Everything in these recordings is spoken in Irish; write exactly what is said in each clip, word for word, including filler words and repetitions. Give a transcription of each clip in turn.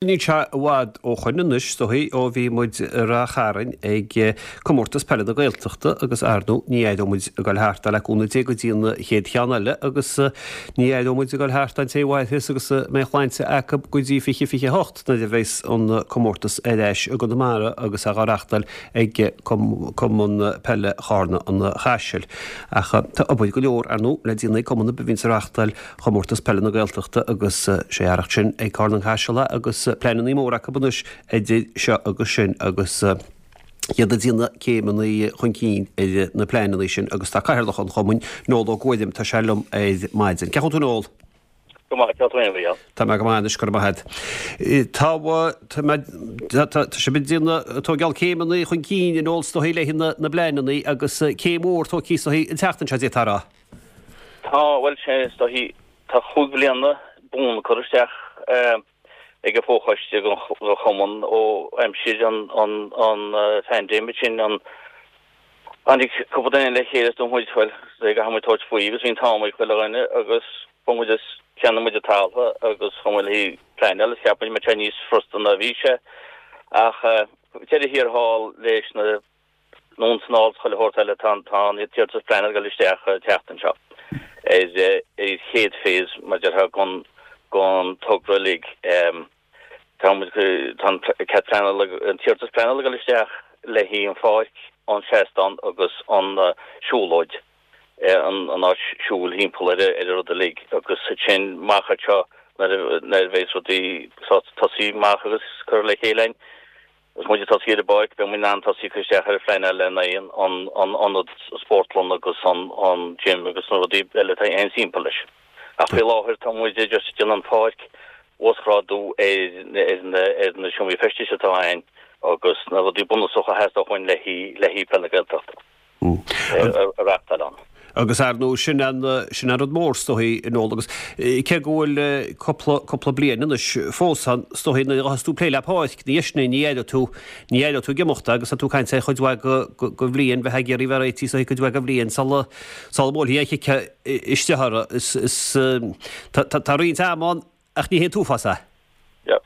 Níl sé i bhfad ó shoin anois, is dóichí, ó bhí muid i Ráth Chairn ag Comórtas Peile na Gaeltachta agus ar ndóigh ní aireoidh muid ag dul thart le cúnamh Dé go dtí an chéad cheann eile agus ní aireoidh muid ag dul thart an té a mhairfeas agus a mbeidh shláinte acu go dtí fiche fiche hocht nuair a bheas an comórtas ar ais i gConamara agus á reáchtáil ag Cumann Peile Charna an Chaisil. Ach tá obair go leor ar ndóigh le déanamh ag cumann a bhíonns ag reáchtáil Chomórtas Peile na Gaeltachta agus sé fhearacht sin ag Carna an Chaisil agus pleananna móra acu anois idir seo agus sin agus iad ag déanamh céimeanna chun cinn ar na pleananna sin agus tá cathaoirleach an chumainn, Noel Ó Guairim, tá sé liom ar maidin. Cén chaoi a bhfuil tú Noel? Go maith, cén chaoi a bhfuil? Tá mé go maith anois, go raibh maith agat. Tá tá mé tá sibh ag déanamh tógáil céimeanna chun cinn a Noel is dóichí le na na bpleananna agus céim mhór tógtha is dóichí an tseachtain seo d'fhéadfá a rá. Tá, bhuel sé is dóichí tá chúig bhliana bun curtha isteach ag an bhfochoiste den chumann ó aimsir an an an phaindéim sin an tháinig cúpla duine le chéile is dúirt muid bhuel caithfidh muid tabhairt faoi agus bhí an t-am ag chuile dhuine agus chuaigh muid is cheannaigh muid an talamh agus chuaigh muid le pleanáil is cheap muid go mbeadh sé níos frusta ná a bhí sé ach deireadh thiar thall leis na anonn is anall is chuile shórt eile tá tá an t-iarratas pleanála ag dul isteach an tseachtain seo ar ar chéad phase mar a déarfá den den togra uilig. Tá muid tá an cead pleanála an t-iarratas pleanála ag dul isteach le haghaidh an pháirc, an seastán agus an siúlóid an an áit siúil thimpeall ar ar an rud uilig agus ansin amach anseo nuair a nuair a bheas rudaí tosaí amach agus curtha le chéile againn. Agus muid ag tosaí ar an bpáirc, beidh muid in ann tosaí ag cur isteach ar an phleanáil le haghaidh an an ionad spórtlann agus an an gym agus na rudaí eile atá aon timpeall leis. Ach faoi láthair tá muid just ag déanamh an pháirc, uasghrádú ar ar na ar na seomraí feistis atá ann agus na rudaí bunúsacha a theastódh uainn le haghaidh le haghaidh Peil na Gaeltachta. a reáchtáil ann. Agus ar ndóigh sin an sin an rud mór is dóichí a Noel agus cé go bhfuil cúpla cúpla bliain anois fós ann is dóichí nuair a thosaigh tú ag plé le páirc na dheiseanna ní aireoidh tú ní aireoidh tú ag imeacht agus tá tú ag caint ar chuid mhaith go go bhliain bheith ag iarraidh bheith réitithe is dóichí cuid mhaith go bhliain sula sula mbuailfidh an chic isteach orthu is is tá tá roinnt ama ann ach ní hé an t-uafás é.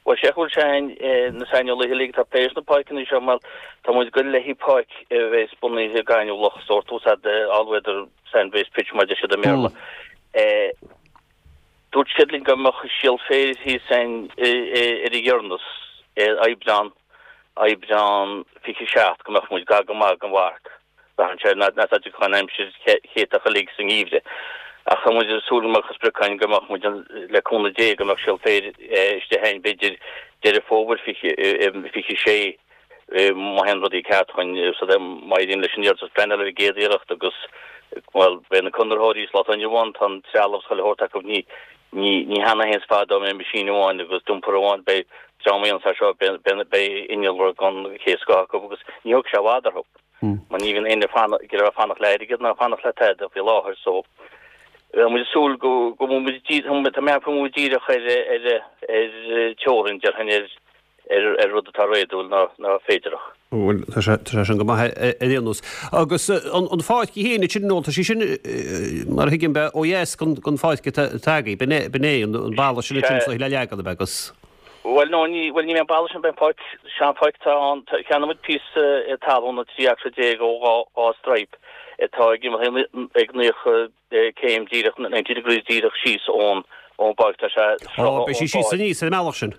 Bhuel, sé go bhfuil sé na saineolaithe uilig atá ag plé leis na páirceanna seo mar tá muid ag goil le haghaidh páirc a bheas bunaithe gaineamhlach sórt úsáid all weather sand based pitch mar a deir siad i mBéarla. Dúirt siad linn go mbeadh síol féir thíos ann ar a dheireanas i Aibreán, Aibreán fiche seacht go mbeadh muid gar go maith don mharc. Braitheann sé ar na dtiocfadh an aimsir chéatach uilig sa ngeimhreadh. Ach tá muid ag súil go mbeadh an sprioc againn go mbeadh muid, le cúnamh Dé, go mbeadh síol féir istigh againn b'fhéidir Deireadh Fómhair fiche sé má théann rudaí ceart chugainn so má éiríonn leis an iarratas pleanála ar an gcéad iarracht agus bhuel beidh na conraitheoirí sa lá atá inniu ann tá an trealamh is chuile shórt acu ní ní ní hann a théanns fada mbeidh meaisín amháin agus dumper amháin beidh dream a dhéananns é seo beidh beidh innealra den chéad scoth acu agus ní thógfaidh sé i bhfad orthu. Mar ní bhíonn éinne ag iarraidh fanacht le airgead ná fanacht le tada faoi láthair so bheadh muid ag súil go go bhfuil muid tá mé go bhfuil muid díreach ar ar ar teorainn déarfainn ar ar ar rud atá réadúil ná ná féidearthach. Bhuel tá sé tá sé sin go maith ar aon nós. Agus an an pháirc í féin ansin nó tá sí sin mar a thuigim b'é ó dheas den den pháirc atá atá agaibh b'in é b'in é an an balla sin ansin so le leagan ab ea agus Bhuel, no, ní, bhuel, ní bheidh an balla sin, beidh an pháirc, sea, an pháirc atá ann, cheannaigh muid píosa talún trí acra déag ó dhá, dhá stripe atá ag imeacht ag naocha céim díreach, ninety degrees díreach síos ón, ón bpáirc, tá sé Ó, beidh sí síos aníos ar an mbealach sin.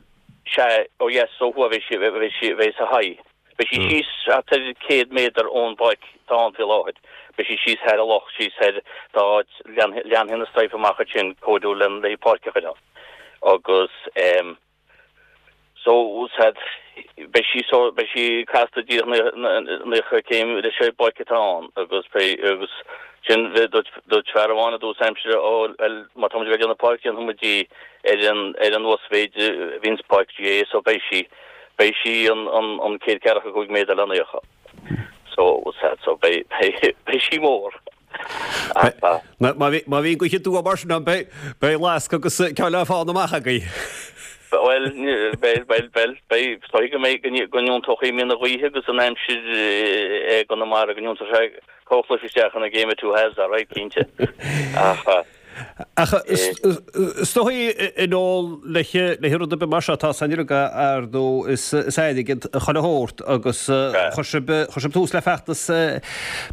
Sea, ó dheas, ó thuaidh bheidh sí, bheidh sí, bheidh sa haghaidh. Beidh sí síos thart ar céad méadar ón bpáirc atá ann faoi láthair. Beidh sí síos thar an loch, síos thar, tá áit, leanfaidh, leanfaidh na stripe amach ansin, cóiriúil le, le páirc a chur ann. Agus ehm so said beidh sí so beidh sí casta díreach naocha céim leis an bpáirc atá ann agus beidh agus sin dúirt dúirt fear amháin i dtús aimsire ó bhuel má tá muid ag déanamh páirc déanfaidh muid í ar an ar an uasmhéid a bhíonns páirc GAA so beidh sí beidh sí an an an céad ceathracha cúig méadar le naocha so said so beidh beidh beidh sí mór. Má bhíonn gaoth aduaidh mar sin ann, beidh lasc agus ceann le fána amach agaibh. Bhuel, bhuel, bhuel, bhuel, beidh, is dóigh go mbeidh, go n-iontóchaí míonna na gaoithe agus an aimsir i gConamara, go n-iontóidh sé comhchluiche isteach ina game of two halves, alright, cinnte. Ach. Ach is dóigh i ndáil le le rud ar bith mar seo atá san ar ndóigh is is airgead chuile shórt agus chuir sibh chuir sibh tús le feachtas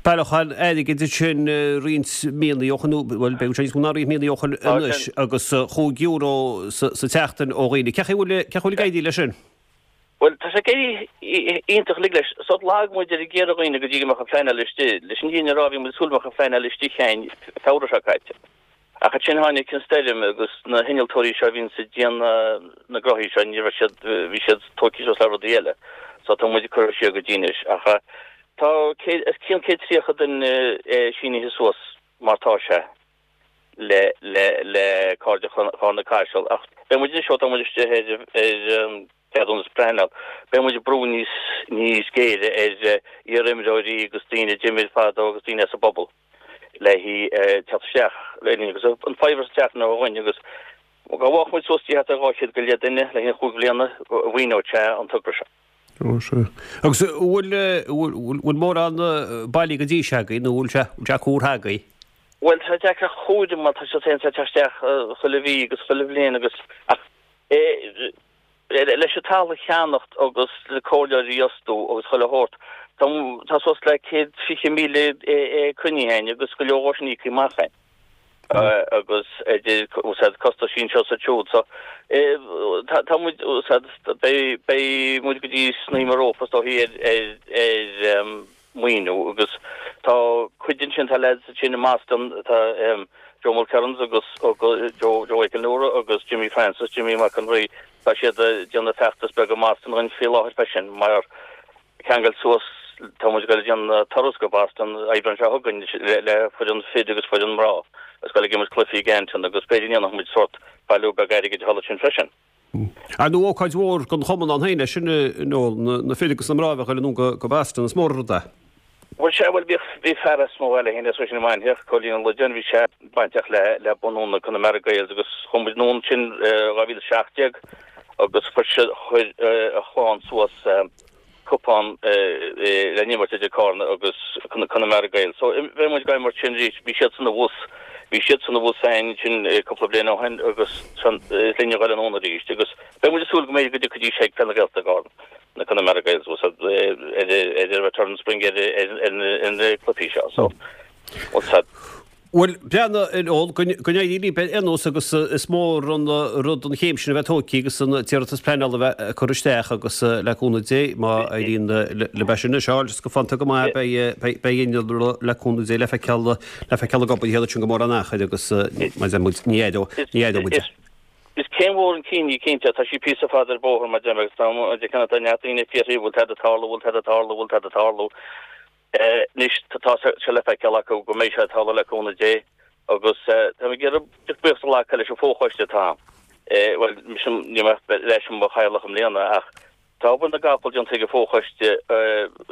bailiúcháin airgid sin roinnt míonna ó shin bhuel beidh sé níos mó ná roinnt míonna ó shin anois agus chúig euro sa tseachtain ó dhaoine. Cén chaoi bhfuil cén chaoi bhfuil ag éirí leis sin? Bhuel tá sé ag éirí iontach uilig leis. So lag muid ar ag iarraidh dhaoine go dtí go mbeadh an phleanáil istigh. Leis an bhfírinne a rá bhí muid ag súil go mbeadh an phleanáil istigh againn Feabhra seo caite. Ach ansin tháinig an stoirm agus na hinnealtóirí seo a bhíonns ag déanamh na gcroithí seo, ní raibh siad, bhí siad tógtha suas le rudaí eile. So tá muid ag cur siar go dtí anois. Ach tá céad, os cionn céad tríocha duine sínithe suas mar tá sé le, le, le Cairde Charna Caiseal. Ach beidh muid anois ó tá muid istigh ar, ar an ceadúnas pleanála, beidh muid ag brú níos, níos géire ar iar-imreoirí agus daoine a d'imir fadó agus daoine as an bpobal. le teacht isteach linn agus an faobhar sa teach ó dhuine agus dá bhfaigheadh muid suas thart ar dhá chéad go leith duine le haghaidh chúig bhliana mhaoineodh sé an togra seo. Ó sea. Agus bhfuil bhfuil mórán bailí go dtí seo agaibh nó bhfuil sé bhfuil sé curtha agaibh? Bhuel tá sé deacair a thuairim mar tá sé ag teacht isteach chuile mhí agus chuile bhliain agus ach leis an talamh a cheannacht agus le comhairleoirí a fhostú agus chuile shórt, tá suas le céad fiche míle cruinnithe againn agus go leor dhó sin íoctha amach againn agus idir úsáid costaisí anseo is ansiúd. So tá muid úsáid beidh muid go dtí snaidhm an rópa is dóichí ar ar maoiniú agus tá cuid ansin tá leaids ansin i mBoston tá Joe Mulkerrins agus Joe Joe Mhichael Nora agus Jimmy Francis, Jimmy Mac an Rí, tá siad ag déanamh feachtas beag i mBoston dhúinn faoi láthair freisin mar ceangal suas tá muid ag dul ag déanamh turas go Boston Aibreán seo chugainn le foireann fir agus foireann mná agus dul ag imirt cluichí i gCanton agus b'fhéidir go ndéanfaidh muid sórt bailiú beag airgid thall ansin freisin. Ar ndóigh ócáid mhór don chumann ann féin é sin nó na fir agus na mná a bheith ag dul anonn go Boston, is mór an rud é. Bhuel sea, bhuel bhíodh, bhí fear as mo bhaile féin as sin i Mainchíoch, Cóilín Ó Loideáin, bhí sé bainteach le, le bunú na Connemara Gaels agus chuaigh muid anonn ansin dhá mhíle a seacht déag agus chuir sé, chuir a chlann suas cupán le n-imirt idir Carna agus Connemara Gaels. So bheidh muid ag imirt sin arís, bhí siadsan abhus, bhí siadsan abhus féin ansin cúpla bliain ó shin agus is linne a dhul anonn arís agus beidh muid ag súil go mb'fhéidir go dtiocfaidís ag Peil na Gaeltachta i gCarna, na Connemara Gaels abhus ar ar return spring ar ar na cluichí seo. So, what's that? Bhuel, breathnaigh, a Noel, go n-éirí libh ar aon nós agus is mór an rud an chéim sin a bheith tógtha agus an t-iarratas pleanála a bheith curtha isteach agus le cúnamh Dé má éiríonn libh é sin a fháil is go fanta go maith beidh innealra le cúnamh Dé le feiceáil le feiceáil ag obair thiar ansin go mórán achair agus mar a deir muid ní aireoidh muid é. Is céim mhór chun cinn í cinnte, tá sí píosa fada ar bóthar mar a deir mé agus tá tá neart daoine ag fiafraí bhfuil tada ag tarlú, bhfuil tada ag tarlú, bhfuil tada ag tarlú. Anois tá sé le feiceáil acu go mbeidh sé ag tarlú le cúnamh Dé agus táim ag iarraidh buíochas a ghlacadh leis an bhfochoiste atá ann. Bhuel, mise, níl mé ach leis i mo chathaoirleach i mbliana ach tá obair na gcapall déanta ag an bhfochoiste.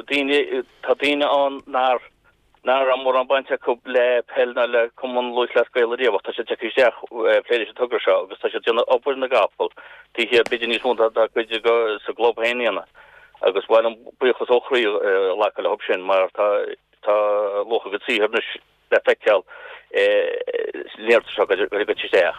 Daoine, tá daoine ann nár, nach raibh mórán baint acu le peil ná le Cumann Lúthchleas Gael ariamh ach tá siad tagtha isteach ag plé leis an togra seo agus tá siad ag déanamh obair na gcapall taobh thiar, b'fhéidir níos mó ná cuid sa gclub féin a dhéanamh. Agus ba mhaith liom buíochas ó chroí a ghlacadh leo sin mar tá tá luach a gcuid saothair anois le feiceáil san iarratas seo go dtí isteach.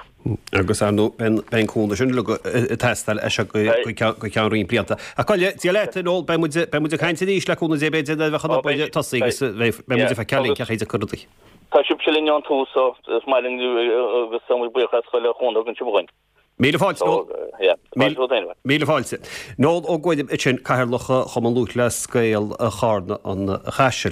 Agus ar ndóigh beidh an cúnamh sin uilig ag teastáil as seo go ceann roinnt blianta. Ach gabh i leith, Dia leat, a Noel, beidh muid beidh muid ag caint arís le cúnamh Dé b'fhéidir nuair a bheadh an obair tosaithe agus beidh muid ag feiceáil cén chaoi a dtiocfaidh rudaí. Tá sibhse linn ón tús so is maith linn agus tá muid buíoch as chuile chúnamh a thugann sibh dhúinn. Míle fáilte, Noel. Míle fáilte. Noel Ó Guairim ansin, Cathaoirleach Chumann Lúthchleas Gael Charna an Chaisil.